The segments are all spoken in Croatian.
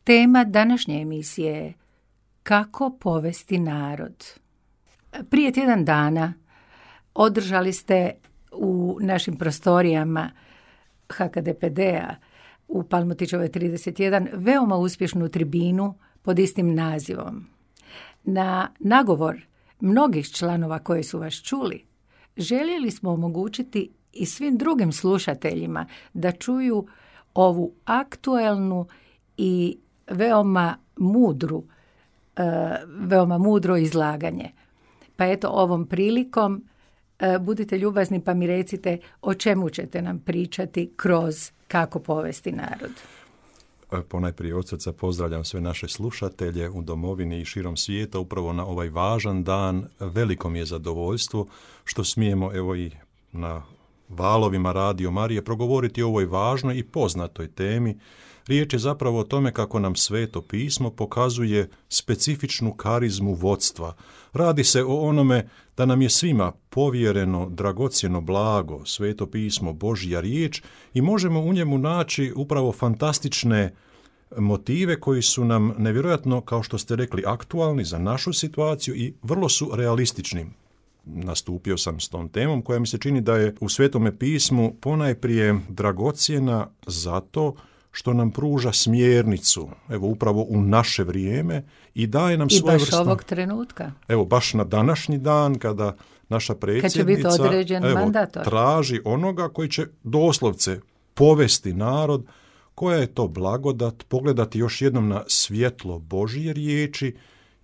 Tema današnje emisije je kako povesti narod. Prije tjedan dana održali ste u našim prostorijama HKDPD-a u Palmotićevoj 31 veoma uspješnu tribinu pod istim nazivom. Na nagovor mnogih članova koji su vas čuli, željeli smo omogućiti i svim drugim slušateljima da čuju ovu aktuelnu i veoma mudro izlaganje. Pa eto, ovom prilikom budite ljubazni pa mi recite o čemu ćete nam pričati kroz kako povesti narod. Ponajprije od srca pozdravljam sve naše slušatelje u domovini i širom svijeta upravo na ovaj važan dan. Veliko mi je zadovoljstvo što smijemo evo i na valovima Radio Marije progovoriti o ovoj važnoj i poznatoj temi. Riječ je zapravo o tome kako nam Sveto pismo pokazuje specifičnu karizmu vodstva. Radi se o onome da nam je svima povjereno dragocjeno blago, Sveto pismo, Božja riječ i možemo u njemu naći upravo fantastične motive koji su nam nevjerojatno, kao što ste rekli, aktualni za našu situaciju i vrlo su realistični. Nastupio sam s tom temom koja mi se čini da je u Svetome pismu ponajprije dragocjena zato što nam pruža smjernicu, evo upravo u naše vrijeme i daje nam svoje vrste. I baš ovog trenutka. Evo baš na današnji dan kada naša predsjednica traži onoga koji će doslovce povesti narod, koja je to blagodat, pogledati još jednom na svjetlo Božje riječi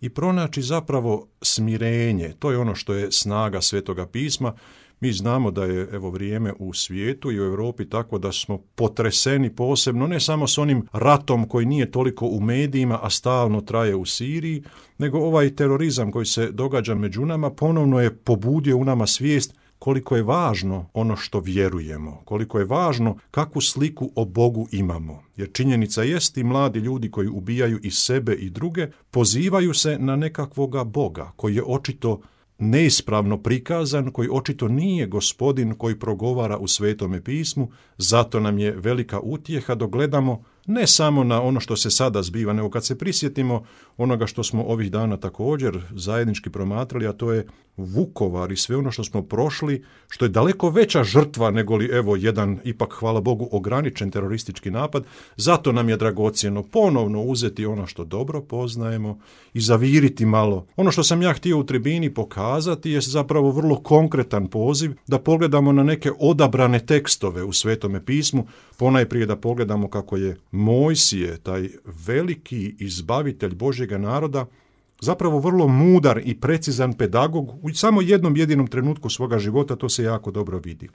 i pronaći zapravo smirenje. To je ono što je snaga Svetoga pisma. Mi znamo da je evo vrijeme u svijetu i u Europi tako da smo potreseni posebno ne samo s onim ratom koji nije toliko u medijima, a stalno traje u Siriji, nego ovaj terorizam koji se događa među nama ponovno je pobudio u nama svijest koliko je važno ono što vjerujemo, koliko je važno kakvu sliku o Bogu imamo. Jer činjenica jest i mladi ljudi koji ubijaju i sebe i druge pozivaju se na nekakvoga Boga koji je očito neispravno prikazan, koji očito nije Gospodin koji progovara u Svetome pismu, zato nam je velika utjeha dok gledamo ne samo na ono što se sada zbiva, nego kad se prisjetimo onoga što smo ovih dana također zajednički promatrali, a to je Vukovar i sve ono što smo prošli, što je daleko veća žrtva nego li evo jedan, ipak hvala Bogu, ograničen teroristički napad. Zato nam je dragocjeno ponovno uzeti ono što dobro poznajemo i zaviriti malo. Ono što sam ja htio u tribini pokazati je zapravo vrlo konkretan poziv da pogledamo na neke odabrane tekstove u Svetome pismu, ponajprije da pogledamo kako je Mojsije, taj veliki izbavitelj Božjega naroda, zapravo vrlo mudar i precizan pedagog u samo jednom jedinom trenutku svoga života, to se jako dobro vidi.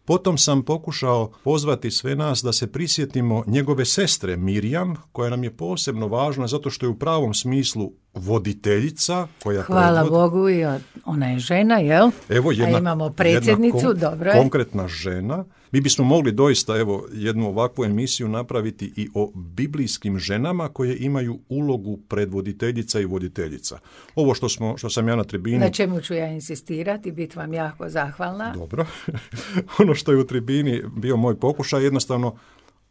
Potom sam pokušao pozvati sve nas da se prisjetimo njegove sestre Mirjam, koja nam je posebno važna zato što je u pravom smislu voditeljica koja hvala Bogu i ona je žena, jel? Evo jedna, a imamo predsjednicu, dobro je. Konkretna žena. Mi bismo mogli doista evo jednu ovakvu emisiju napraviti i o biblijskim ženama koje imaju ulogu predvoditeljica i voditeljica. Ovo što sam ja na tribini... Na čemu ću ja insistirati, biti vam jako zahvalna. Dobro. Ono što je u tribini bio moj pokušaj, jednostavno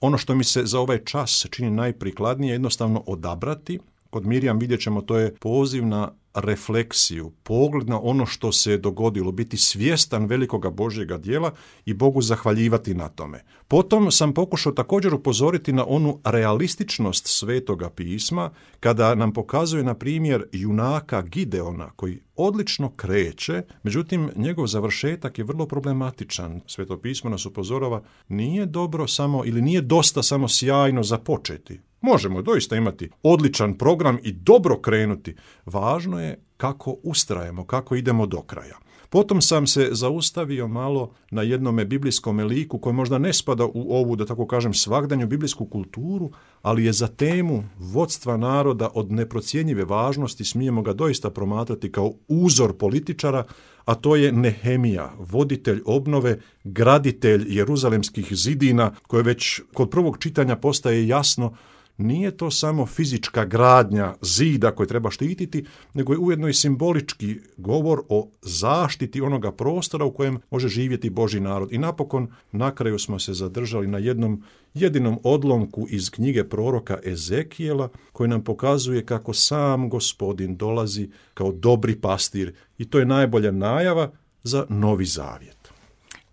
ono što mi se za ovaj čas čini najprikladnije, jednostavno odabrati. Kod Mirjam vidjet ćemo, to je poziv na refleksiju, pogled na ono što se je dogodilo, biti svjestan velikoga Božjega djela i Bogu zahvaljivati na tome. Potom sam pokušao također upozoriti na onu realističnost Svetoga pisma, kada nam pokazuje, na primjer, junaka Gideona, koji odlično kreće, međutim, njegov završetak je vrlo problematičan. Sveto pismo nas upozorava, nije dobro samo ili nije dosta samo sjajno započeti. Možemo doista imati odličan program i dobro krenuti. Važno je kako ustrajemo, kako idemo do kraja. Potom sam se zaustavio malo na jednome biblijskom liku koji možda ne spada u ovu, da tako kažem, svagdanju biblijsku kulturu, ali je za temu vodstva naroda od neprocjenjive važnosti, smijemo ga doista promatrati kao uzor političara, a to je Nehemija, voditelj obnove, graditelj jeruzalemskih zidina, koje već kod prvog čitanja postaje jasno nije to samo fizička gradnja zida koje treba štititi, nego je ujedno i simbolički govor o zaštiti onoga prostora u kojem može živjeti Božji narod. I napokon, na kraju smo se zadržali na jednom jedinom odlomku iz knjige proroka Ezekijela, koji nam pokazuje kako sam Gospodin dolazi kao dobri pastir i to je najbolja najava za Novi Zavjet.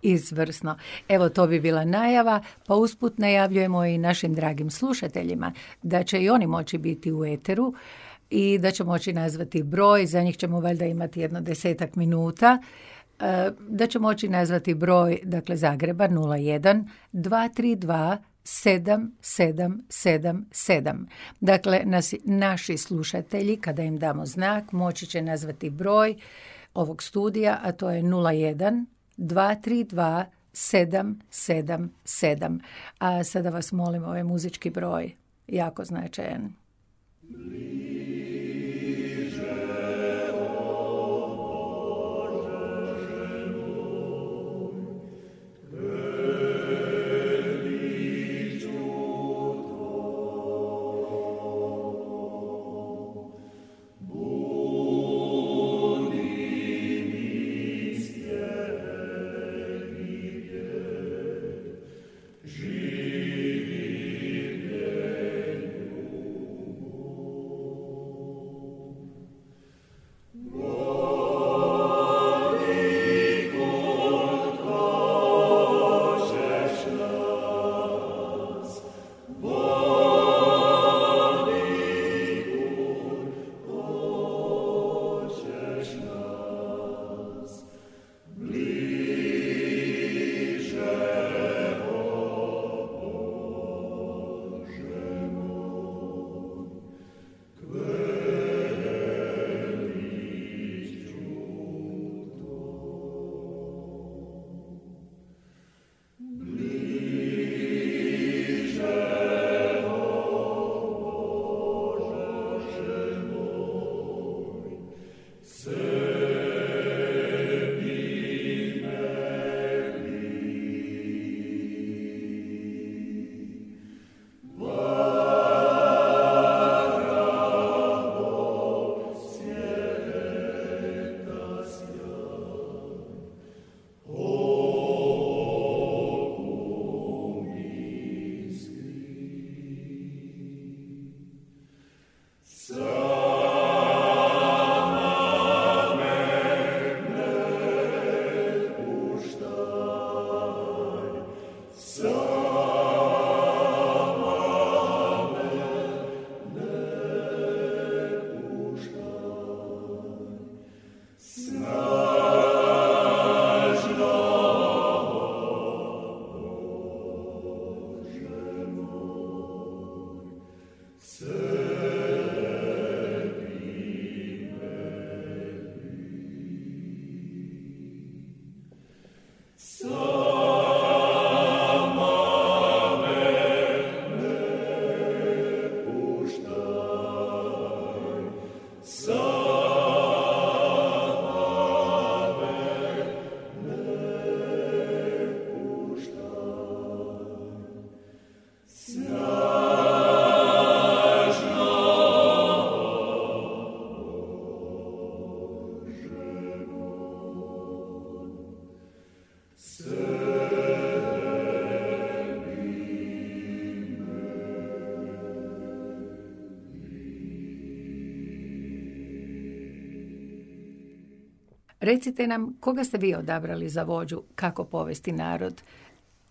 Izvrsno. Evo, to bi bila najava, pa usput najavljujemo i našim dragim slušateljima da će i oni moći biti u eteru i da će moći nazvati broj, za njih ćemo valjda imati 10 minuta, da će moći nazvati broj, dakle Zagreba 01 232 7777. Dakle, naši slušatelji, kada im damo znak, moći će nazvati broj ovog studija, a to je 01 232 777. A sada vas molim, ovaj muzički broj, jako značajan. Recite nam, koga ste vi odabrali za vođu, kako povesti narod?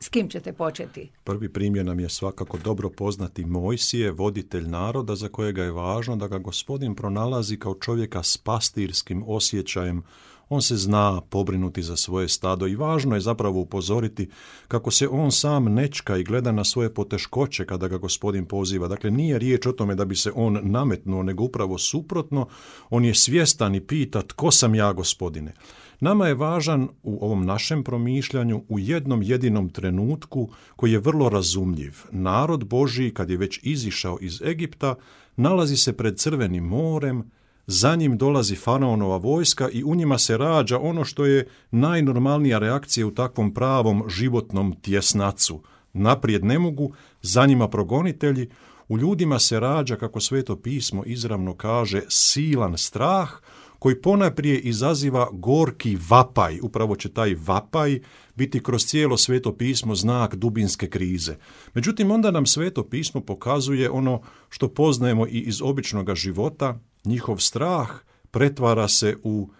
S kim ćete početi? Prvi primjer nam je svakako dobro poznati Mojsije, voditelj naroda za kojega je važno da ga Gospodin pronalazi kao čovjeka s pastirskim osjećajem. On se zna pobrinuti za svoje stado i važno je zapravo upozoriti kako se on sam nečka i gleda na svoje poteškoće kada ga Gospodin poziva. Dakle, nije riječ o tome da bi se on nametnuo, nego upravo suprotno. On je svjestan i pita: tko sam ja, Gospodine? Nama je važan u ovom našem promišljanju u jednom jedinom trenutku koji je vrlo razumljiv. Narod Božji, kad je već izišao iz Egipta, nalazi se pred Crvenim morem, za njim dolazi faraonova vojska i u njima se rađa ono što je najnormalnija reakcija u takvom pravom životnom tjesnacu. Naprijed ne mogu, za njima progonitelji, U ljudima se rađa, kako Sveto pismo izravno kaže, silan strah, koji ponajprije izaziva gorki vapaj. Upravo će taj vapaj biti kroz cijelo Sveto pismo znak dubinske krize. Međutim, onda nam Sveto pismo pokazuje ono što poznajemo i iz običnog života. Njihov strah pretvara se u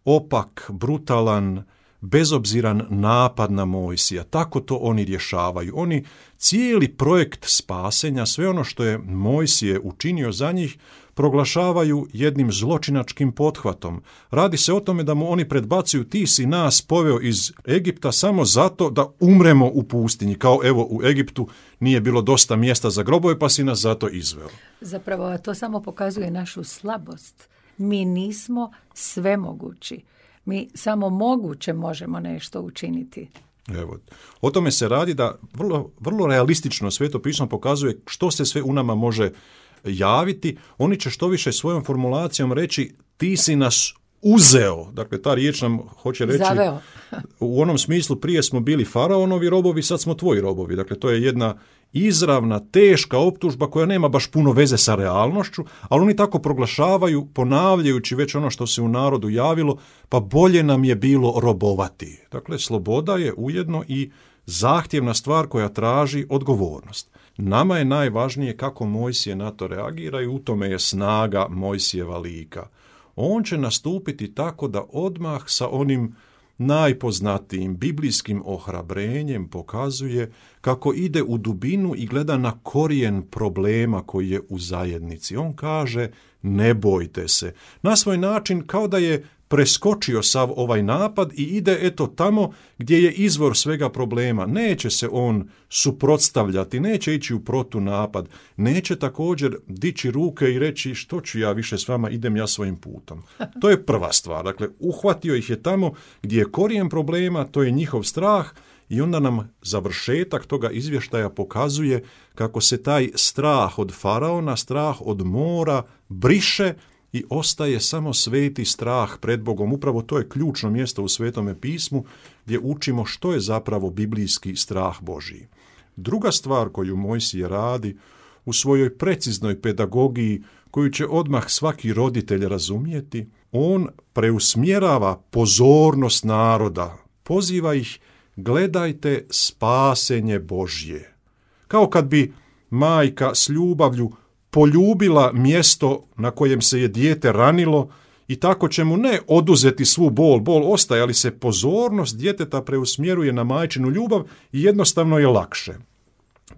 opak, brutalan, bezobziran napad na Mojsija. Tako to oni rješavaju. Oni cijeli projekt spasenja, sve ono što je Mojsije učinio za njih, proglašavaju jednim zločinačkim pothvatom. Radi se o tome da mu oni predbacuju: ti si nas poveo iz Egipta samo zato da umremo u pustinji. Kao evo, u Egiptu nije bilo dosta mjesta za grobove, pa si nas zato izveo. Zapravo to samo pokazuje našu slabost. Mi nismo svemogući. Mi samo moguće možemo nešto učiniti. Evo, o tome se radi da vrlo realistično Sveto pismo pokazuje što se sve u nama može javiti. Oni će što više svojom formulacijom reći: ti si nas uzeo. Dakle, ta riječ nam hoće reći zaveo. U onom smislu, prije smo bili faraonovi robovi, sad smo tvoji robovi. Dakle, to je jedna izravna, teška optužba koja nema baš puno veze sa realnošću, ali oni tako proglašavaju, ponavljajući već ono što se u narodu javilo: pa bolje nam je bilo robovati. Dakle, sloboda je ujedno i zahtjevna stvar koja traži odgovornost. Nama je najvažnije kako Mojsije na to reagira i u tome je snaga Mojsijeva lika. On će nastupiti tako da odmah sa onim najpoznatijim biblijskim ohrabrenjem pokazuje kako ide u dubinu i gleda na korijen problema koji je u zajednici. On kaže: ne bojte se. Na svoj način kao da je preskočio sav ovaj napad i ide eto tamo gdje je izvor svega problema. Neće se on suprotstavljati, neće ići u protunapad, neće također dići ruke i reći: što ću ja više s vama, idem ja svojim putom. To je prva stvar. Dakle, uhvatio ih je tamo gdje je korijen problema, to je njihov strah, i onda nam završetak toga izvještaja pokazuje kako se taj strah od faraona, strah od mora briše i ostaje samo sveti strah pred Bogom. Upravo to je ključno mjesto u Svetome pismu gdje učimo što je zapravo biblijski strah Božji. Druga stvar koju Mojsije radi u svojoj preciznoj pedagogiji, koju će odmah svaki roditelj razumjeti, on preusmjerava pozornost naroda, poziva ih: gledajte spasenje Božje. Kao kad bi majka s ljubavlju poljubila mjesto na kojem se je dijete ranilo i tako će mu ne oduzeti svu bol ostaje, ali se pozornost djeteta preusmjeruje na majčinu ljubav i jednostavno je lakše.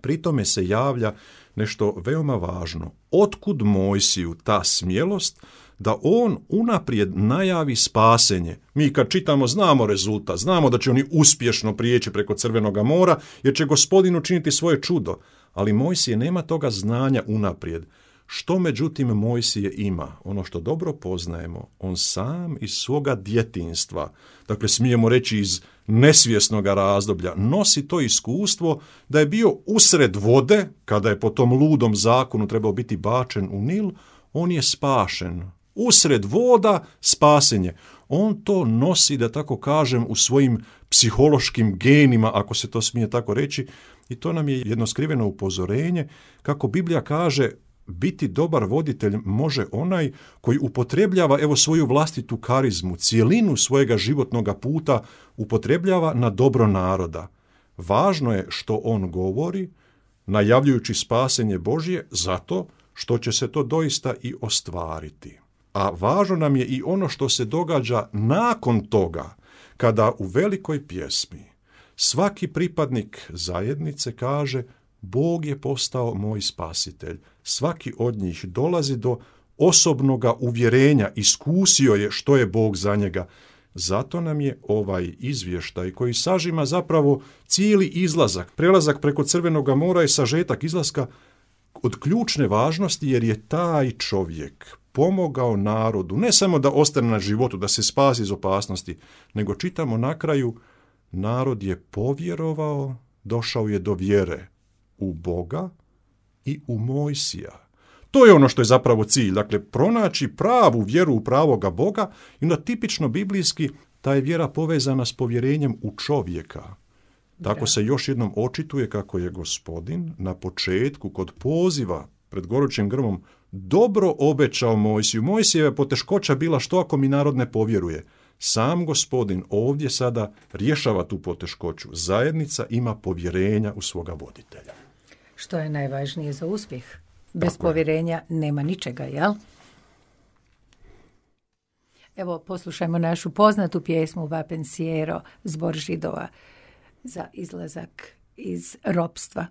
Pri tome se javlja nešto veoma važno. Otkud Mojsiju ta smjelost da on unaprijed najavi spasenje? Mi kad čitamo znamo rezultat, znamo da će oni uspješno prijeći preko Crvenoga mora jer će Gospodin učiniti svoje čudo. Ali Mojsije nema toga znanja unaprijed. Što međutim Mojsije ima? Ono što dobro poznajemo, on sam iz svoga djetinjstva, dakle smijemo reći iz nesvjesnog razdoblja, nosi to iskustvo da je bio usred vode, kada je po tom ludom zakonu trebao biti bačen u Nil, on je spašen. Usred voda spasenje. On to nosi, da tako kažem, u svojim psihološkim genima, ako se to smije tako reći, i to nam je jedno skriveno upozorenje, kako Biblija kaže: biti dobar voditelj može onaj koji upotrebljava svoju vlastitu karizmu, cijelinu svojega životnog puta upotrebljava na dobro naroda. Važno je što on govori, najavljujući spasenje Božje, zato što će se to doista i ostvariti. A važno nam je i ono što se događa nakon toga, kada u velikoj pjesmi svaki pripadnik zajednice kaže: Bog je postao moj spasitelj. Svaki od njih dolazi do osobnoga uvjerenja, iskusio je što je Bog za njega. Zato nam je ovaj izvještaj koji sažima zapravo cijeli izlazak, prelazak preko Crvenoga mora i sažetak izlaska, od ključne važnosti, jer je taj čovjek pomogao narodu ne samo da ostane na životu, da se spasi iz opasnosti, nego čitamo na kraju: narod je povjerovao, došao je do vjere u Boga i u Mojsija. To je ono što je zapravo cilj, dakle pronaći pravu vjeru u pravoga Boga, i onda tipično biblijski ta je vjera povezana s povjerenjem u čovjeka. Tako se još jednom očituje kako je Gospodin na početku kod poziva pred gorućim grmom, dobro obećao Mojsiju. Mojsijeva poteškoća bila što ako mi narod ne povjeruje. Sam Gospodin ovdje sada rješava tu poteškoću. Zajednica ima povjerenja u svoga voditelja. Što je najvažnije za uspjeh. Bez povjerenja nema ničega, jel? Evo, poslušajmo našu poznatu pjesmu Va pensiero, zbor Židova za izlazak iz ropstva.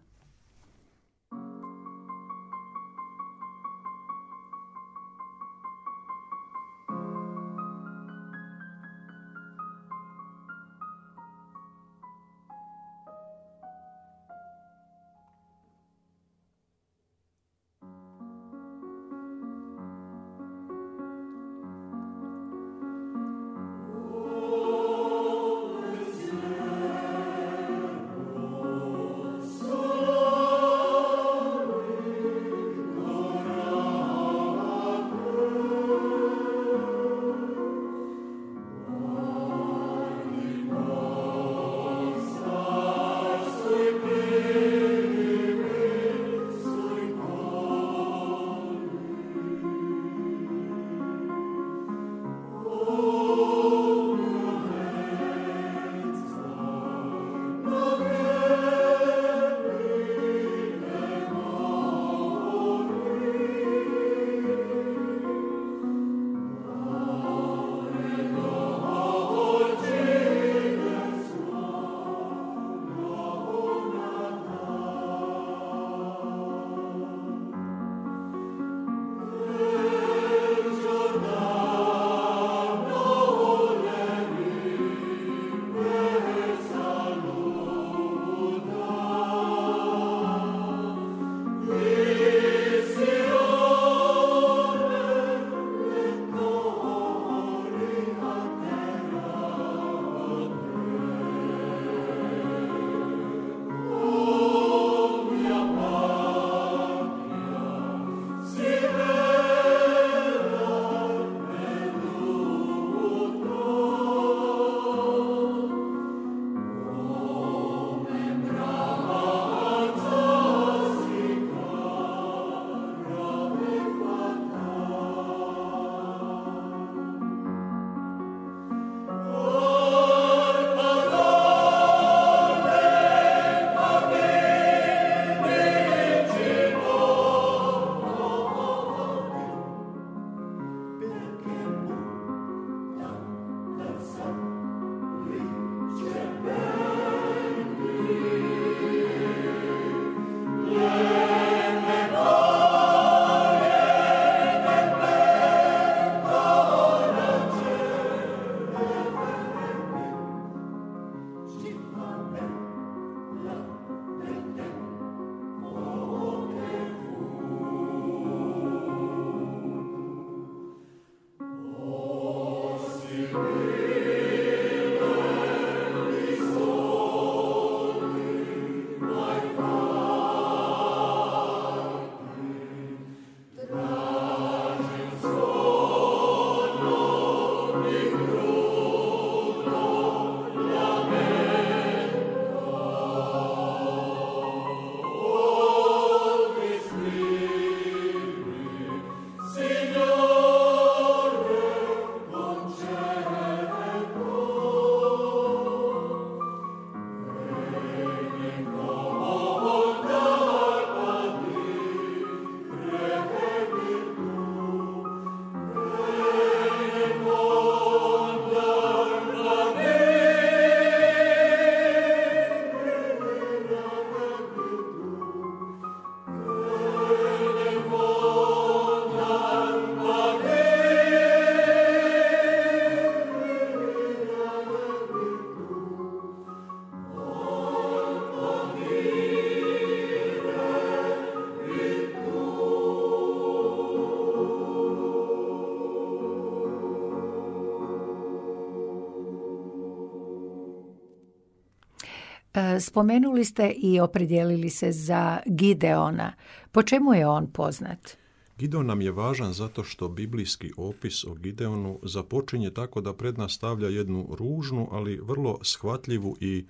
Spomenuli ste i opredijelili se za Gideona. Po čemu je on poznat? Gideon nam je važan zato što biblijski opis o Gideonu započinje tako da pred nas stavlja jednu ružnu, ali vrlo shvatljivu i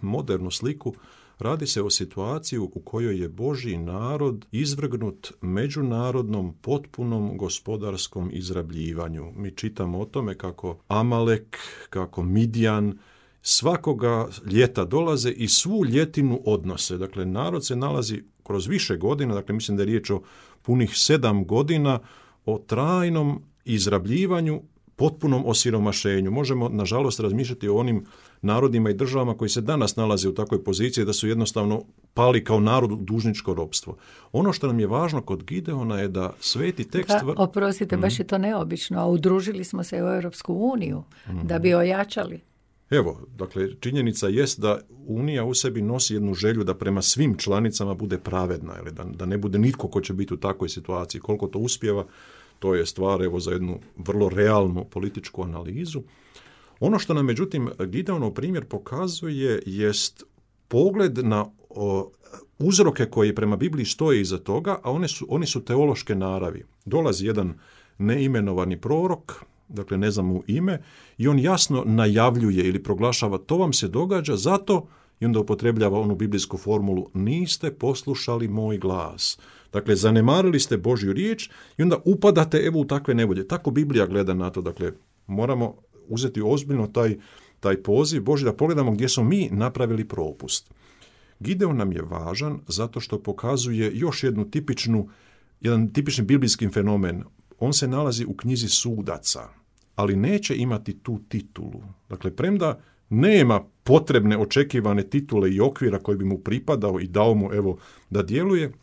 modernu sliku Radi se o situaciji u kojoj je Božji narod izvrgnut međunarodnom potpunom gospodarskom izrabljivanju. Mi čitamo o tome kako Amalek, kako Midjan svakoga ljeta dolaze i svu ljetinu odnose. Dakle, narod se nalazi kroz više godina, dakle mislim da je riječ o punih 7 godina, o trajnom izrabljivanju, potpunom osiromašenju. Možemo, nažalost, razmišljati o onim narodima i državama koji se danas nalaze u takvoj poziciji da su jednostavno pali kao narod u dužničko ropstvo. Ono što nam je važno kod Gideona je da sveti tekst... Oprostite, baš je to neobično, a udružili smo se u Europsku uniju da bi ojačali. Evo, dakle, činjenica jest da Unija u sebi nosi jednu želju da prema svim članicama bude pravedna, ili da ne bude nitko ko će biti u takvoj situaciji. Koliko to uspijeva, to je stvar evo za jednu vrlo realnu političku analizu. Ono što nam međutim Gideonov primjer pokazuje jest pogled na uzroke koji prema Bibliji stoje iza toga, a oni su teološke naravi. Dolazi jedan neimenovani prorok, dakle ne znam mu ime, i on jasno najavljuje ili proglašava to vam se događa zato, i onda upotrebljava onu biblijsku formulu, niste poslušali moj glas. Dakle, zanemarili ste Božju riječ i onda upadate evo u takve nevolje. Tako Biblija gleda na to. Dakle, moramo uzeti ozbiljno taj poziv Božji da pogledamo gdje smo mi napravili propust. Gideon nam je važan zato što pokazuje još jedan tipični biblijski fenomen. On se nalazi u knjizi sudaca, ali neće imati tu titulu. Dakle, premda nema potrebne očekivane titule i okvira koji bi mu pripadao i dao mu evo da djeluje,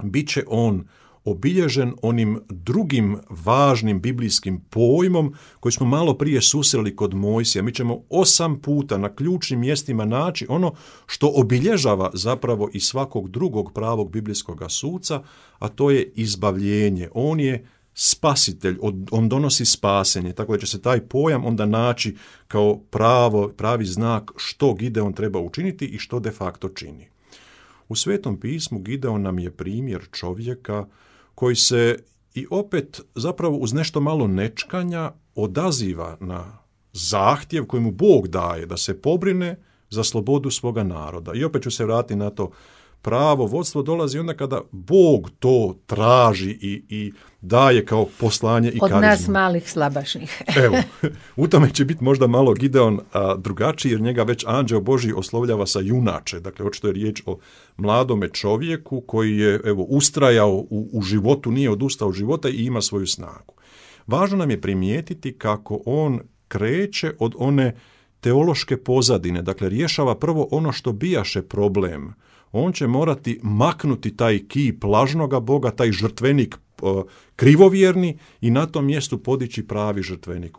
bit će on obilježen onim drugim važnim biblijskim pojmom koji smo malo prije susreli kod Mojsija. Mi ćemo 8 puta na ključnim mjestima naći ono što obilježava zapravo i svakog drugog pravog biblijskog suca, a to je izbavljenje. On je spasitelj, on donosi spasenje, tako da će se taj pojam onda naći kao pravi znak što Gideon treba učiniti i što de facto čini. U Svetom pismu Gideon nam je primjer čovjeka koji se i opet zapravo uz nešto malo nečkanja odaziva na zahtjev koji mu Bog daje da se pobrine za slobodu svoga naroda. I opet ću se vratiti na to, pravo vodstvo dolazi onda kada Bog to traži i daje kao poslanje i karizmu. Od nas malih slabašnih. Evo, u tome će biti možda malo Gideon drugačiji, jer njega već anđeo Božji oslovljava sa junače. Dakle, očito je riječ o mladome čovjeku koji je ustrajao u životu, nije odustao od života i ima svoju snagu. Važno nam je primijetiti kako on kreće od one teološke pozadine. Dakle, rješava prvo ono što bijaše problem. On će morati maknuti taj kip lažnoga Boga, taj žrtvenik krivovjerni i na tom mjestu podići pravi žrtvenik.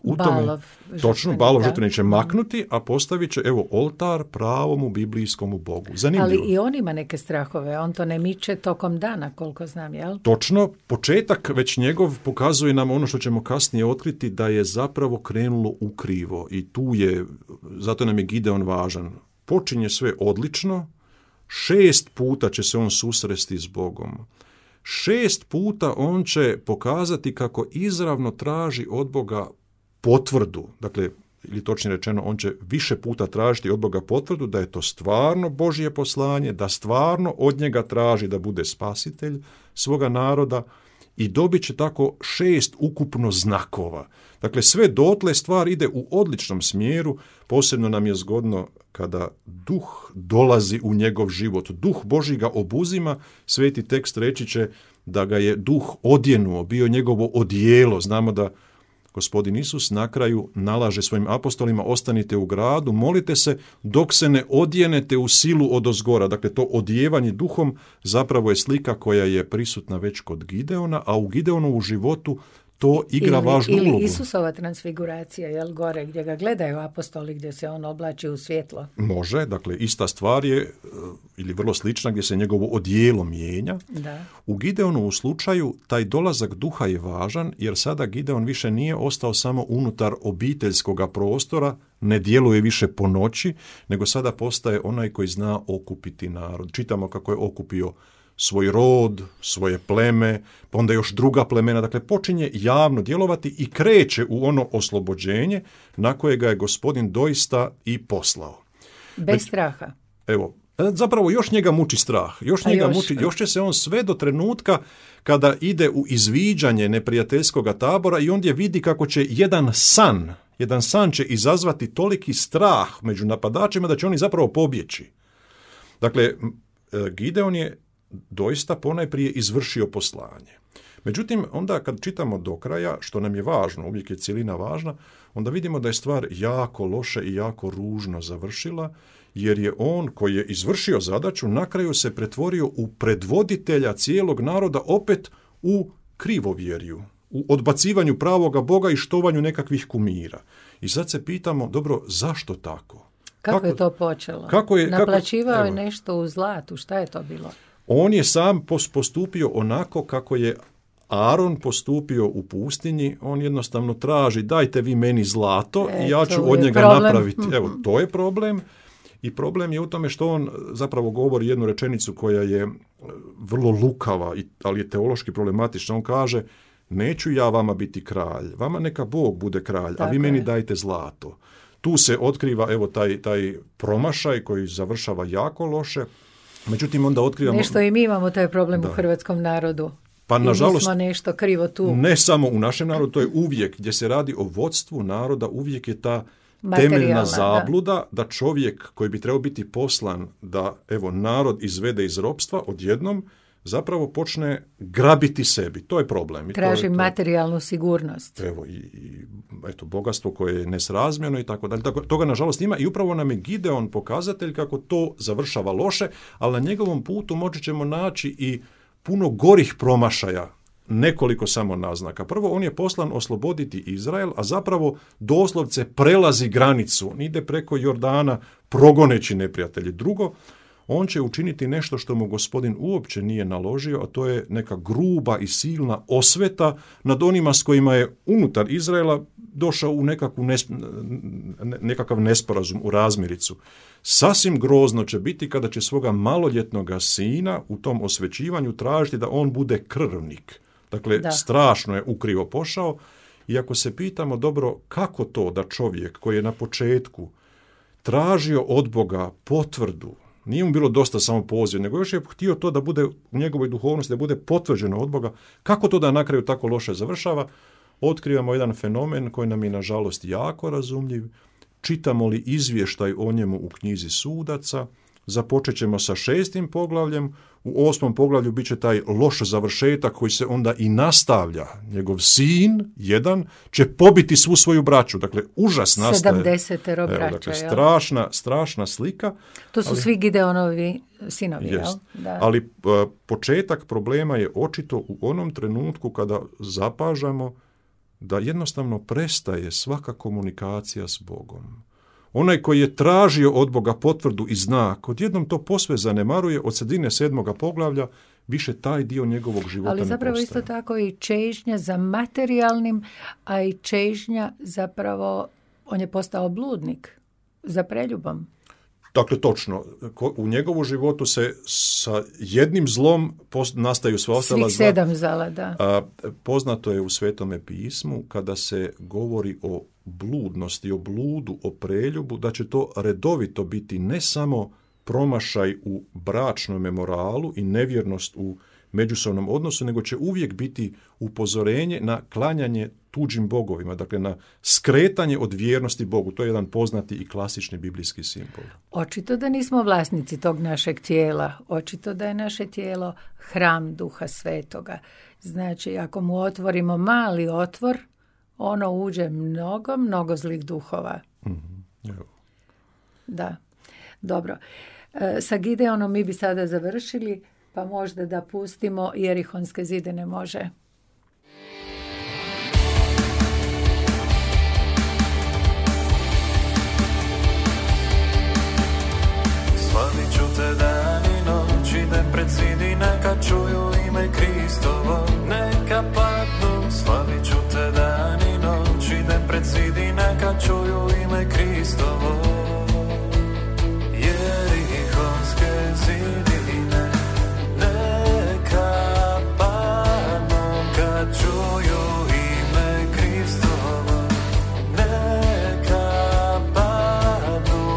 Balov žrtvenik će maknuti, a postavit će oltar pravomu biblijskomu Bogu. Zanimljivo. Ali i on ima neke strahove, on to ne miče tokom dana, koliko znam, jel? Točno, početak već njegov pokazuje nam ono što ćemo kasnije otkriti, da je zapravo krenulo ukrivo i zato nam je Gideon važan. Počinje sve odlično, 6 puta će se on susresti s Bogom. 6 puta on će pokazati kako izravno traži od Boga potvrdu. Dakle, ili točnije rečeno, on će više puta tražiti od Boga potvrdu da je to stvarno Božje poslanje, da stvarno od njega traži da bude spasitelj svoga naroda i dobit će tako 6 ukupno znakova. Dakle, sve dotle stvar ide u odličnom smjeru, posebno nam je zgodno kada duh dolazi u njegov život. Duh Božji ga obuzima, sveti tekst reći će da ga je duh odjenuo, bio njegovo odijelo. Znamo da Gospodin Isus na kraju nalaže svojim apostolima, ostanite u gradu, molite se dok se ne odjenete u silu odozgora. Dakle, to odijevanje duhom zapravo je slika koja je prisutna već kod Gideona, a u Gideonovu životu to igra važnu ulogu. Ili Isusova transfiguracija, jel, gore gdje ga gledaju apostoli, gdje se on oblači u svjetlo. Može, dakle, ista stvar je, ili vrlo slična, gdje se njegovo odijelo mijenja. Da. U Gideonovu slučaju taj dolazak duha je važan, jer sada Gideon više nije ostao samo unutar obiteljskoga prostora, ne djeluje više po noći, nego sada postaje onaj koji zna okupiti narod. Čitamo kako je okupio svoj rod, svoje pleme, pa onda još druga plemena. Dakle, počinje javno djelovati i kreće u ono oslobođenje na koje ga je Gospodin doista i poslao. Bez straha. Evo, Zapravo još njega muči strah. Još će se on sve do trenutka kada ide u izviđanje neprijateljskog tabora i ondje vidi kako će jedan san će izazvati toliki strah među napadačima da će oni zapravo pobjeći. Dakle, Gideon je doista ponajprije izvršio poslanje. Međutim, onda kad čitamo do kraja, što nam je važno, uvijek je cjelina važna, onda vidimo da je stvar jako loše i jako ružno završila, jer je on koji je izvršio zadaću na kraju se pretvorio u predvoditelja cijelog naroda opet u krivovjerju, u odbacivanju pravoga Boga i štovanju nekakvih kumira. I sad se pitamo, dobro, zašto tako? Kako je to počelo? Naplaćivao je nešto u zlatu, šta je to bilo? On je sam postupio onako kako je Aaron postupio u pustinji, on jednostavno traži dajte vi meni zlato i ja ću od njega napraviti. Evo, to je problem. I problem je u tome što on zapravo govori jednu rečenicu koja je vrlo lukava, ali je teološki problematična. On kaže, neću ja vama biti kralj, vama neka Bog bude kralj, a vi meni dajte zlato. Tu se otkriva evo taj promašaj koji završava jako loše. Međutim, onda otkrivamo... Nešto i mi imamo taj problem u hrvatskom narodu. Pa nažalost, smo nešto krivo tu. Ne samo u našem narodu, to je uvijek, gdje se radi o vodstvu naroda, uvijek je ta temeljna zabluda da čovjek koji bi trebao biti poslan da evo narod izvede iz ropstva odjednom zapravo počne grabiti sebi. To je problem. Traži materijalnu sigurnost. Evo i eto bogatstvo koje je nesrazmjerno i tako dalje. Toga nažalost ima i upravo nam je Gideon pokazatelj kako to završava loše, ali na njegovom putu moći ćemo naći i puno gorih promašaja, nekoliko samo naznaka. Prvo, on je poslan osloboditi Izrael, a zapravo doslovce prelazi granicu, ide preko Jordana progoneći neprijatelji. Drugo, on će učiniti nešto što mu Gospodin uopće nije naložio, a to je neka gruba i silna osveta nad onima s kojima je unutar Izraela došao u nekakav nesporazum, u razmiricu. Sasvim grozno će biti kada će svoga maloljetnoga sina u tom osvećivanju tražiti da on bude krvnik. Dakle, strašno je ukrivo pošao. I ako se pitamo, dobro, kako to da čovjek koji je na početku tražio od Boga potvrdu, nije mu bilo dosta samo poziv, nego još je htio to da bude u njegovoj duhovnosti, da bude potvrđeno od Boga, kako to da na kraju tako loše završava, otkrivamo jedan fenomen koji nam je nažalost jako razumljiv. Čitamo li izvještaj o njemu u knjizi Sudaca, započet ćemo sa 6. poglavljem, u 8. poglavlju bit će taj loš završetak koji se onda i nastavlja. Njegov sin, jedan, će pobiti svu svoju braću. Dakle, užas nastaje. 70 braća. Dakle, strašna slika. To su svi Gideonovi sinovi, jel? Da. Ali početak problema je očito u onom trenutku kada zapažamo da jednostavno prestaje svaka komunikacija s Bogom. Onaj koji je tražio od Boga potvrdu i znak, odjednom to posve zanemaruje, od sredine 7. poglavlja više taj dio njegovog života ne postaje. Ali zapravo isto tako i čežnja za materijalnim, a i čežnja zapravo, on je postao bludnik za preljubom. Dakle, točno. U njegovu životu se sa jednim zlom nastaju sva ostala zla. Svih 7 zala, da. Poznato je u Svetome pismu kada se govori o bludnosti, o bludu, o preljubu, da će to redovito biti ne samo promašaj u bračnom moralu i nevjernost u međusobnom odnosu, nego će uvijek biti upozorenje na klanjanje tuđim bogovima, dakle na skretanje od vjernosti Bogu. To je jedan poznati i klasični biblijski simbol. Očito da nismo vlasnici tog našeg tijela. Očito da je naše tijelo hram Duha Svetoga. Znači, ako mu otvorimo mali otvor, ono uđe mnogo zlih duhova. Mm-hmm. Da, dobro. Sa Gideonom mi bi sada završili, pa možda da pustimo Jerihonske zidine, može. Slavit ću te dan i noć, idem pred zid i neka čuju ime Kristovo, neka padnu. Slavit ću te dan i noć, idem pred zid i neka čuju ime Kristovo. Jerihonske zidine neka padnu kad čuju ime Kristovo, neka padnu.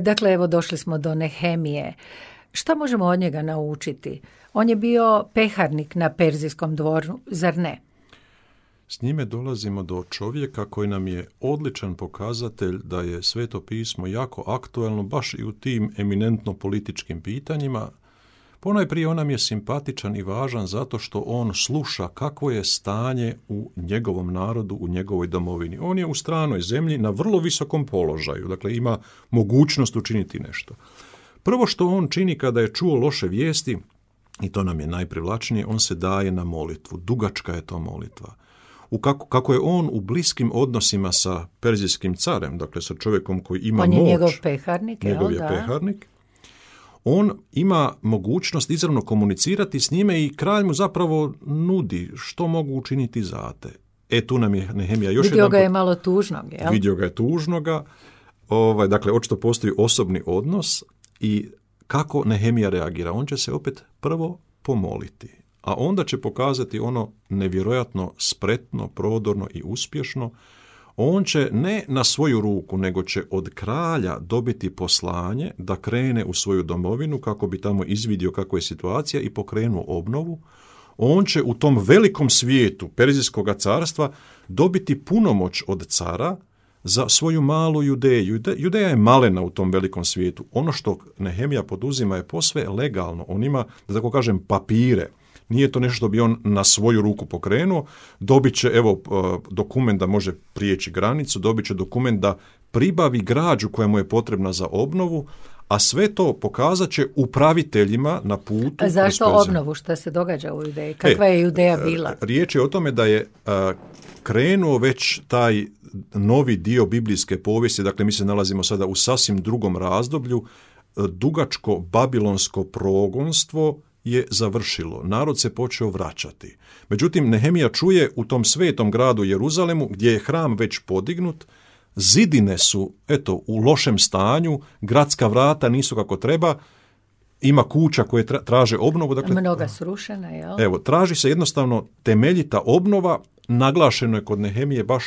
Dakle, evo došli smo do Nehemije. Šta možemo od njega naučiti? On je bio peharnik na Perzijskom dvoru, zar ne? S njime dolazimo do čovjeka koji nam je odličan pokazatelj da je Sveto pismo jako aktuelno baš i u tim eminentno političkim pitanjima. Ponajprije on nam je simpatičan i važan zato što on sluša kakvo je stanje u njegovom narodu, u njegovoj domovini. On je u stranoj zemlji na vrlo visokom položaju, dakle ima mogućnost učiniti nešto. Prvo što on čini kada je čuo loše vijesti, i to nam je najprivlačnije, on se daje na molitvu. Dugačka je to molitva. Kako je on u bliskim odnosima sa perzijskim carem, dakle sa čovjekom koji ima moć. On je njegov peharnik, njegov je peharnik. On ima mogućnost izravno komunicirati s njime i kralj mu zapravo nudi što mogu učiniti za te. Tu nam je Nehemija još vidio ga je malo tužnog, jel? Vidio ga je tužnoga. Dakle, očito postoji osobni odnos i kako Nehemija reagira. On će se opet prvo pomoliti, a onda će pokazati ono nevjerojatno spretno, prodorno i uspješno. On će ne na svoju ruku, nego će od kralja dobiti poslanje da krene u svoju domovinu kako bi tamo izvidio kako je situacija i pokrenuo obnovu. On će u tom velikom svijetu Perzijskog carstva dobiti punomoć od cara za svoju malu Judeju. Judeja je malena u tom velikom svijetu. Ono što Nehemija poduzima je posve legalno. On ima, da tako kažem, papire. Nije to nešto što bi on na svoju ruku pokrenuo. Dobit će dokument da može prijeći granicu, dobit će dokument da pribavi građu koja mu je potrebna za obnovu, a sve to pokazat će upraviteljima na putu. A zašto obnovu? Šta se događa u Judeji? Kakva je Judeja bila? Riječ je o tome da je krenuo već taj novi dio biblijske povijesti, dakle mi se nalazimo sada u sasvim drugom razdoblju, dugačko babilonsko progonstvo je završilo. Narod se počeo vraćati. Međutim, Nehemija čuje u tom svetom gradu Jeruzalemu, gdje je hram već podignut, zidine su, u lošem stanju, gradska vrata nisu kako treba, ima kuća koje traže obnovu. Dakle, mnoga srušena, jel? Traži se jednostavno temeljita obnova, naglašeno je kod Nehemije baš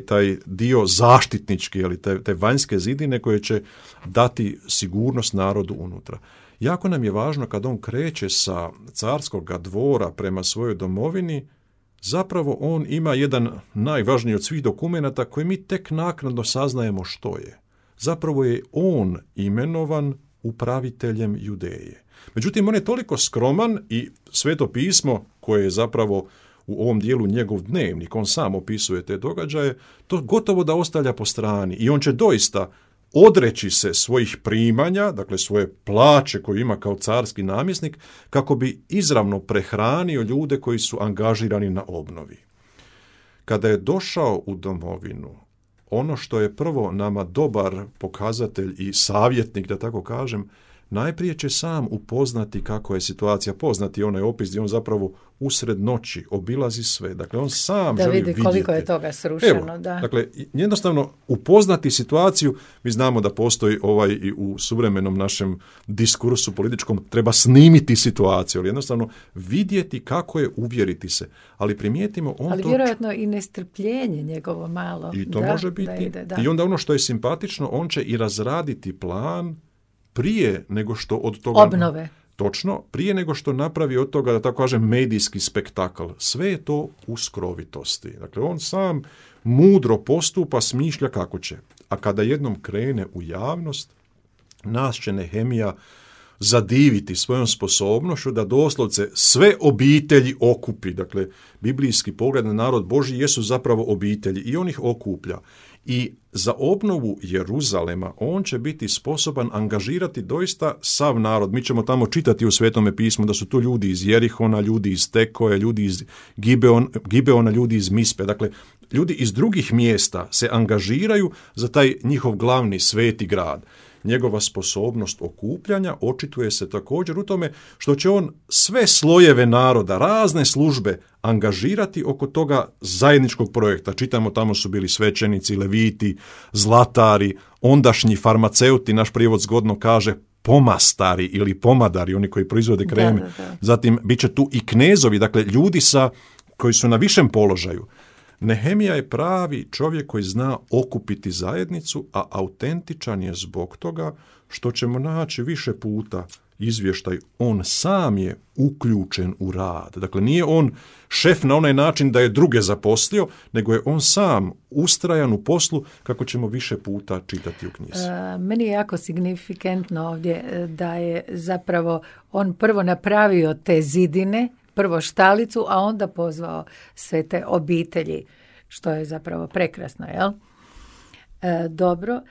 taj dio zaštitnički, te vanjske zidine koje će dati sigurnost narodu unutra. Jako nam je važno kad on kreće sa carskog dvora prema svojoj domovini, zapravo on ima jedan najvažniji od svih dokumenata koji mi tek naknadno saznajemo što je. Zapravo je on imenovan upraviteljem Judeje. Međutim, on je toliko skroman i Sveto pismo koje je zapravo u ovom dijelu njegov dnevnik, on sam opisuje te događaje, to gotovo da ostavlja po strani i on će doista odreći se svojih primanja, dakle svoje plaće koju ima kao carski namjesnik, kako bi izravno prehranio ljude koji su angažirani na obnovi. Kada je došao u domovinu, ono što je prvo nama dobar pokazatelj i savjetnik, da tako kažem, najprije će sam upoznati kako je situacija, poznati onaj opis gdje on zapravo usred noći obilazi sve. Dakle, on sam želi vidjeti. Da vidi koliko je toga srušeno. Dakle, jednostavno upoznati situaciju. Mi znamo da postoji i u suvremenom našem diskursu političkom treba snimiti situaciju, ali jednostavno vidjeti kako je, uvjeriti se. Ali primijetimo ali vjerojatno i nestrpljenje njegovo malo. I to može biti. I onda ono što je simpatično, on će i razraditi plan prije nego što od toga... Obnove. Točno, prije nego što napravi od toga, da tako kažem, medijski spektakl. Sve je to u skrovitosti. Dakle, on sam mudro postupa, smišlja kako će. A kada jednom krene u javnost, nas će Nehemija zadiviti svojom sposobnošću da doslovce sve obitelji okupi. Dakle, biblijski pogled na narod Božji jesu zapravo obitelji i on ih okuplja. I za obnovu Jeruzalema on će biti sposoban angažirati doista sav narod. Mi ćemo tamo čitati u Svetome pismu da su to ljudi iz Jerihona, ljudi iz Tekoja, ljudi iz Gibeona, ljudi iz Mispe. Dakle, ljudi iz drugih mjesta se angažiraju za taj njihov glavni sveti grad. Njegova sposobnost okupljanja očituje se također u tome što će on sve slojeve naroda, razne službe angažirati oko toga zajedničkog projekta. Čitamo, tamo su bili svećenici, leviti, zlatari, ondašnji farmaceuti, naš prijevod zgodno kaže pomastari ili pomadari, oni koji proizvode kreme. Da. Zatim bit će tu i knezovi, dakle ljudi koji su na višem položaju. Nehemija je pravi čovjek koji zna okupiti zajednicu, a autentičan je zbog toga što ćemo naći više puta izvještaj. On sam je uključen u rad. Dakle, nije on šef na onaj način da je druge zaposlio, nego je on sam ustrajan u poslu, kako ćemo više puta čitati u knjizi. Meni je jako signifikantno ovdje da je zapravo on prvo napravio te zidine, prvo štalicu, a onda pozvao sve te obitelji, što je zapravo prekrasno, jel? Dobro.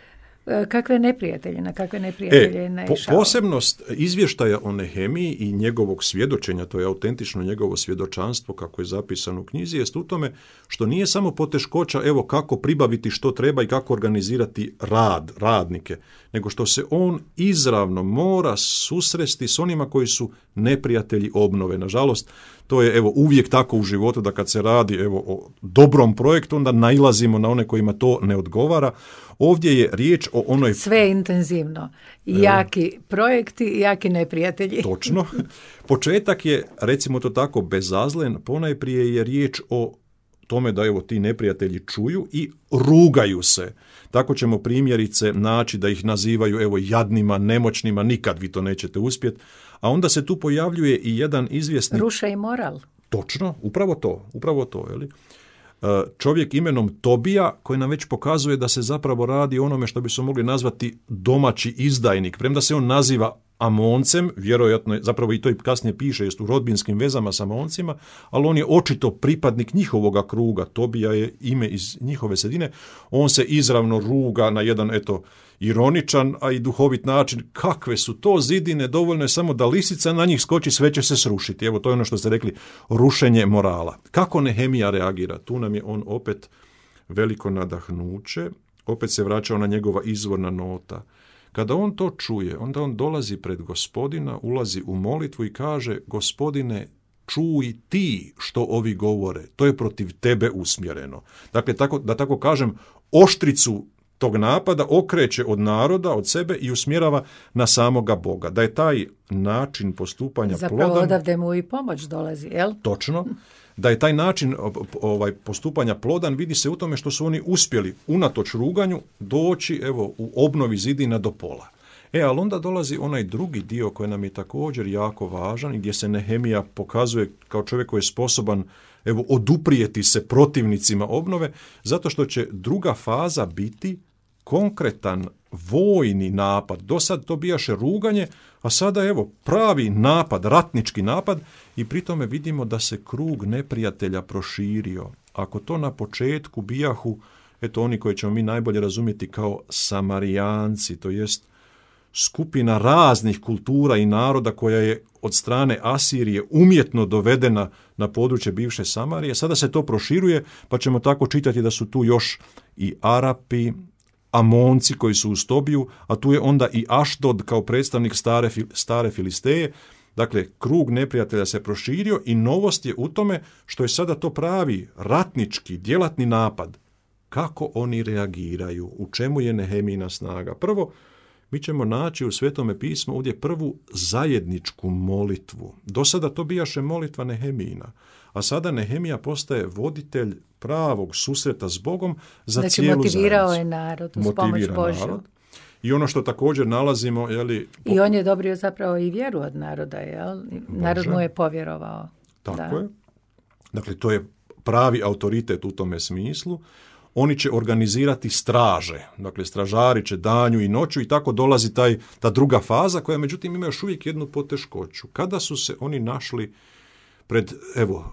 Kakve neprijatelje, na kakve neprijatelje je naišao? Posebnost izvještaja o Nehemiji i njegovog svjedočenja, to je autentično njegovo svjedočanstvo kako je zapisano u knjizi, jest u tome što nije samo poteškoća evo kako pribaviti što treba i kako organizirati radnike, nego što se on izravno mora susresti s onima koji su neprijatelji obnove. Nažalost, to je evo uvijek tako u životu da kad se radi evo o dobrom projektu, onda nailazimo na one kojima to ne odgovara. Ovdje je riječ o onoj... Sve intenzivno. Jaki projekti, jaki neprijatelji. Točno. Početak je, recimo to tako, bezazlen. Ponajprije je riječ o tome da evo ti neprijatelji čuju i rugaju se. Tako ćemo primjerice naći da ih nazivaju evo jadnima, nemoćnima, nikad vi to nećete uspjeti. A onda se tu pojavljuje i jedan izvjesni... Ruša i moral. Točno, upravo to, jeli? Čovjek imenom Tobija koji nam već pokazuje da se zapravo radi o onome što bi se mogli nazvati domaći izdajnik. Premda se on naziva Amoncem, vjerojatno zapravo i to i kasnije piše, jest u rodbinskim vezama s Amoncima, ali on je očito pripadnik njihovoga kruga. Tobija je ime iz njihove sredine. On se izravno ruga na jedan ironičan, a i duhovit način. Kakve su to zidine, dovoljno je samo da lisica na njih skoči, sve će se srušiti. Evo, to je ono što ste rekli, rušenje morala. Kako Nehemija reagira? Tu nam je on opet veliko nadahnuće, opet se vraća ona njegova izvorna nota. Kada on to čuje, onda on dolazi pred Gospodina, ulazi u molitvu i kaže: Gospodine, čuj ti što ovi govore, to je protiv tebe usmjereno. Dakle, da tako kažem, oštricu tog napada okreće od naroda, od sebe i usmjerava na samoga Boga. Da je taj način postupanja zapravo plodan... Zapravo odavde mu i pomoć dolazi, jel? Točno. Da je taj način postupanja plodan vidi se u tome što su oni uspjeli unatoč ruganju doći evo u obnovi zidina do pola. Ali onda dolazi onaj drugi dio koji nam je također jako važan i gdje se Nehemija pokazuje kao čovjek koji je sposoban evo oduprijeti se protivnicima obnove, zato što će druga faza biti konkretan vojni napad. Do sad to bijaše ruganje, a sada evo pravi napad, ratnički napad, i pri tome vidimo da se krug neprijatelja proširio. Ako to na početku bijahu, oni koji ćemo mi najbolje razumjeti kao Samarijanci, to jest skupina raznih kultura i naroda koja je od strane Asirije umjetno dovedena na područje bivše Samarije, sada se to proširuje, pa ćemo tako čitati da su tu još i Arapi, Amonci koji su u Tobiju, a tu je onda i Ašdod kao predstavnik stare Filisteje. Dakle, krug neprijatelja se proširio i novost je u tome što je sada to pravi ratnički, djelatni napad. Kako oni reagiraju? U čemu je Nehemijina snaga? Prvo, mi ćemo naći u Svetome pismu ovdje prvu zajedničku molitvu. Do sada to bijaše molitva Nehemijina, a sada Nehemija postaje voditelj pravog susreta s Bogom za znači, cijelu zajednicu. Motivirao je narod uz pomoć Božju. I ono što također nalazimo... I on je dobrio zapravo i vjeru od naroda, jel? Narod mu je povjerovao. Tako je. Dakle, to je pravi autoritet u tome smislu. Oni će organizirati straže, dakle stražari će danju i noću i tako dolazi ta druga faza koja međutim ima još uvijek jednu poteškoću. Kada su se oni našli pred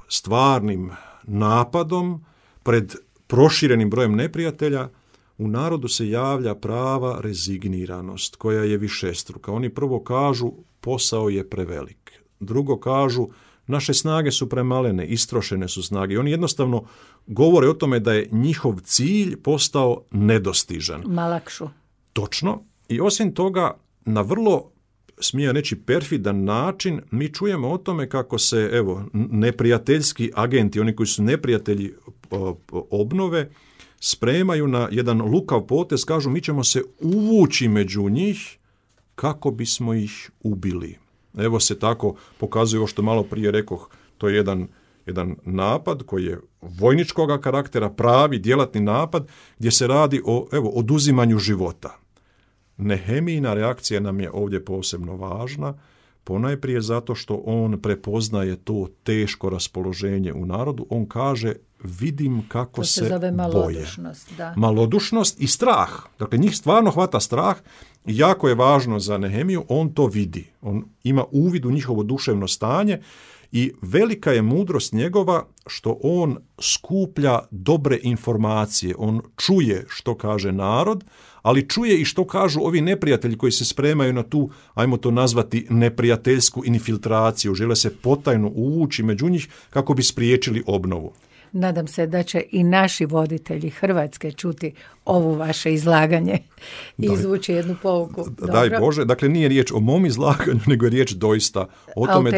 stvarnim napadom, pred proširenim brojem neprijatelja, u narodu se javlja prava rezigniranost koja je višestruka. Oni prvo kažu posao je prevelik, drugo kažu naše snage su premalene, istrošene su snage. Oni jednostavno govore o tome da je njihov cilj postao nedostižan. Malakšu. Točno. I osim toga, na vrlo, smijem reći, perfidan način, mi čujemo o tome kako se, neprijateljski agenti, oni koji su neprijatelji obnove, spremaju na jedan lukav potez, kažu mi ćemo se uvući među njih kako bismo ih ubili. Evo se tako pokazuje ovo što malo prije rekoh, to je jedan jedan napad koji je vojničkog karaktera, pravi djelatni napad gdje se radi o oduzimanju života. Nehemijina reakcija nam je ovdje posebno važna, ponajprije zato što on prepoznaje to teško raspoloženje u narodu. On kaže, vidim kako se boje. Malodušnost, da. Malodušnost i strah. Dakle, njih stvarno hvata strah i jako je važno za Nehemiju, on to vidi. On ima uvid u njihovo duševno stanje i velika je mudrost njegova što on skuplja dobre informacije. On čuje što kaže narod, ali čuje i što kažu ovi neprijatelji koji se spremaju na tu, ajmo to nazvati, neprijateljsku infiltraciju. Žele se potajno uvući među njih kako bi spriječili obnovu. Nadam se da će i naši voditelji Hrvatske čuti ovo vaše izlaganje i izvući jednu pouku. Daj Bože, dakle nije riječ o mom izlaganju, nego je riječ doista o tome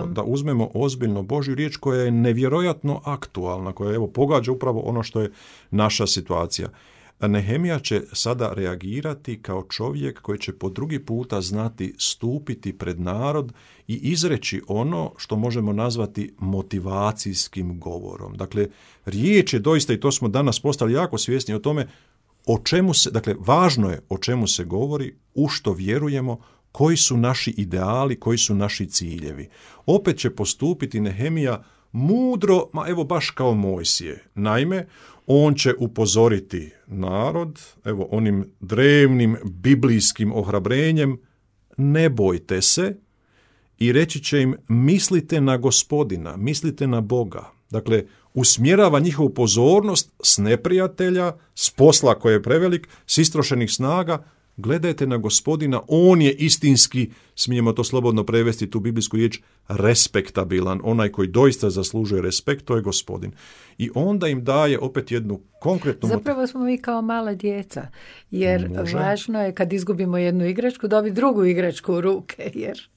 da uzmemo ozbiljno Božju riječ koja je nevjerojatno aktualna, koja pogađa upravo ono što je naša situacija. Nehemija će sada reagirati kao čovjek koji će po drugi puta znati stupiti pred narod i izreći ono što možemo nazvati motivacijskim govorom. Dakle, riječ je doista, i to smo danas postali jako svjesni o tome, o čemu se, dakle, važno je o čemu se govori, u što vjerujemo, koji su naši ideali, koji su naši ciljevi. Opet će postupiti Nehemija mudro, baš kao Mojsije. Naime, on će upozoriti narod, onim drevnim biblijskim ohrabrenjem, ne bojte se, i reći će im, mislite na Gospodina, mislite na Boga. Dakle, usmjerava njihovu pozornost s neprijatelja, s posla koji je prevelik, s istrošenih snaga, gledajte na Gospodina, on je istinski, smijemo to slobodno prevesti tu biblijsku riječ, respektabilan, onaj koji doista zaslužuje respekt, to je Gospodin. I onda im daje opet jednu konkretnu... Zapravo smo mi kao mala djeca, jer važno je kad izgubimo jednu igračku, dobiti drugu igračku u ruke, jer...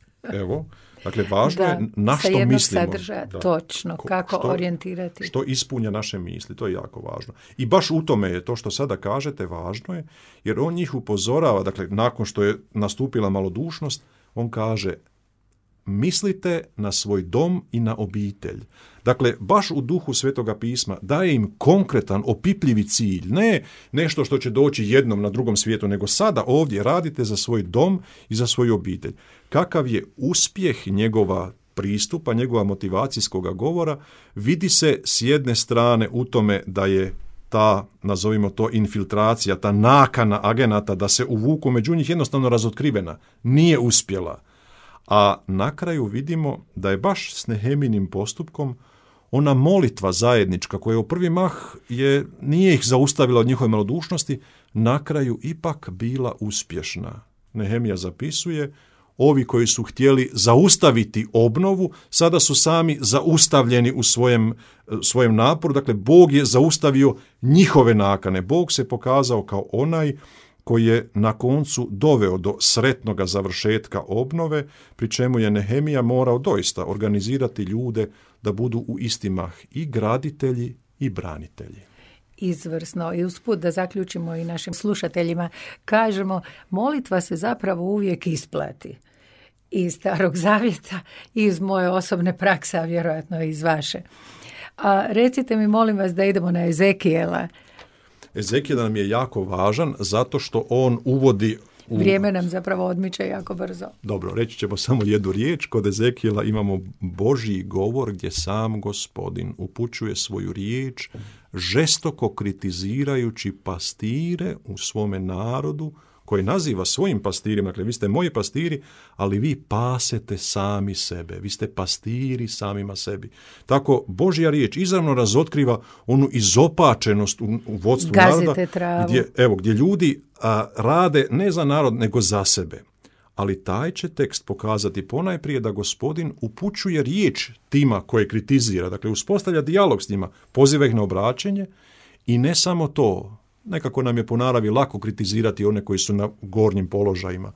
Dakle, važno je na što mislimo. Točno, kako orijentirati. Što ispunja naše misli, to je jako važno. I baš u tome je to što sada kažete važno je, jer on njih upozorava, dakle, nakon što je nastupila malodušnost, on kaže, mislite na svoj dom i na obitelj. Dakle, baš u duhu Svetoga pisma daje im konkretan, opipljivi cilj. Ne nešto što će doći jednom na drugom svijetu, nego sada ovdje radite za svoj dom i za svoju obitelj. Kakav je uspjeh njegova pristupa, njegova motivacijskoga govora, vidi se s jedne strane u tome da je ta, nazovimo to, infiltracija, ta nakana agenata da se uvuku među njih jednostavno razotkrivena. Nije uspjela. A na kraju vidimo da je baš s Nehemijinim postupkom ona molitva zajednička koja u prvi mah nije ih zaustavila od njihove malodušnosti, na kraju ipak bila uspješna. Nehemija zapisuje, ovi koji su htjeli zaustaviti obnovu, sada su sami zaustavljeni u svojem naporu. Dakle, Bog je zaustavio njihove nakane. Bog se pokazao kao onaj koji je na koncu doveo do sretnoga završetka obnove, pri čemu je Nehemija morao doista organizirati ljude da budu u isti mah i graditelji i branitelji. Izvrsno. I usput da zaključimo i našim slušateljima, kažemo, molitva se zapravo uvijek isplati. Iz Starog Zavjeta, iz moje osobne prakse, a vjerojatno i iz vaše. A recite mi, molim vas, da idemo na Ezekijela. Ezekijel nam je jako važan zato što on uvodi... Vrijeme nam zapravo odmiče jako brzo. Dobro, reći ćemo samo jednu riječ. Kod Ezekijela imamo Božji govor gdje sam Gospodin upućuje svoju riječ, žestoko kritizirajući pastire u svome narodu, koji naziva svojim pastirima, dakle vi ste moji pastiri, ali vi pasete sami sebe, vi ste pastiri samima sebi. Tako Božja riječ izravno razotkriva onu izopačenost u vodstvu naroda, gdje ljudi rade ne za narod, nego za sebe. Ali taj će tekst pokazati ponajprije da Gospodin upućuje riječ tima koje kritizira, dakle uspostavlja dijalog s njima, poziva ih na obraćenje i ne samo to. Nekako nam je po naravi lako kritizirati one koji su na gornjim položajima.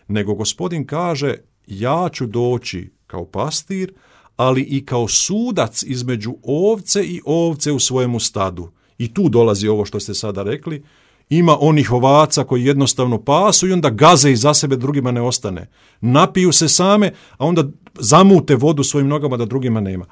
Nego Gospodin kaže, ja ću doći kao pastir, ali i kao sudac između ovce i ovce u svojemu stadu. I tu dolazi ovo što ste sada rekli, Ima onih ovaca koji jednostavno pasu i onda gaze iza sebe, drugima ne ostane. Napiju se same, a onda zamute vodu svojim nogama da drugima nema,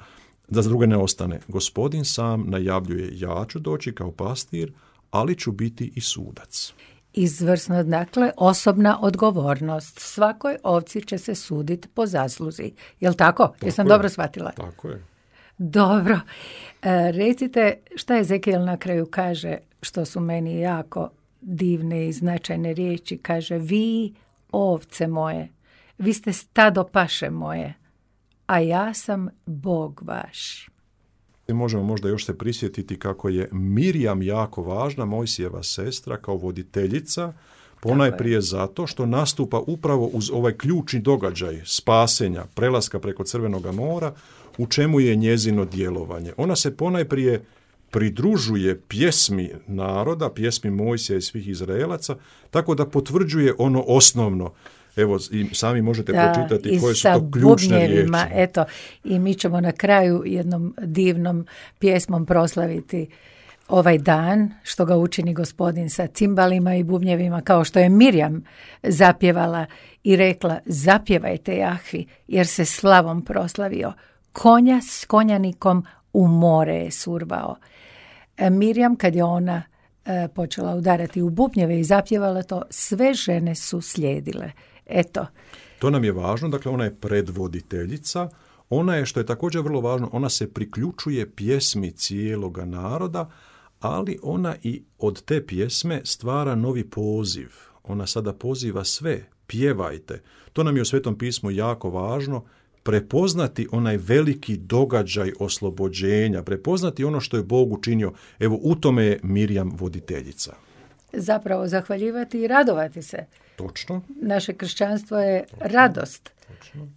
da druge ne ostane. Gospodin sam najavljuje, ja ću doći kao pastir, ali ću biti i sudac. Izvrsno, dakle, osobna odgovornost. Svakoj ovci će se suditi po zasluzi. Jel tako? Jesam dobro shvatila? Tako je. Dobro. Recite šta Ezekijel na kraju kaže, što su meni jako divne i značajne riječi. Kaže, vi ovce moje, vi ste stado paše moje, a ja sam Bog vaš. Možemo možda još se prisjetiti kako je Mirjam jako važna, Mojsijeva sestra, kao voditeljica, ponajprije zato što nastupa upravo uz ovaj ključni događaj spasenja, prelaska preko Crvenog mora, u čemu je njezino djelovanje. Ona se ponajprije pridružuje pjesmi naroda, pjesmi Mojsija i svih Izraelaca, tako da potvrđuje ono osnovno. Evo, i sami možete pročitati koje su to ključne riječi. Eto, i mi ćemo na kraju jednom divnom pjesmom proslaviti ovaj dan, što ga učini Gospodin sa cimbalima i bubnjevima, kao što je Mirjam zapjevala i rekla, zapjevajte Jahvi, jer se slavom proslavio. Konja s konjanikom u more je survao. Mirjam, kad je ona počela udarati u bubnjeve i zapjevala to, sve žene su slijedile. Eto. To nam je važno, dakle ona je predvoditeljica, ona je, što je također vrlo važno, ona se priključuje pjesmi cijeloga naroda, ali ona i od te pjesme stvara novi poziv. Ona sada poziva sve, pjevajte. To nam je u Svetom pismu jako važno, prepoznati onaj veliki događaj oslobođenja, prepoznati ono što je Bog učinio. Evo, u tome je Mirjam voditeljica. Zapravo zahvaljivati i radovati se. Točno. Naše kršćanstvo je radost. Točno.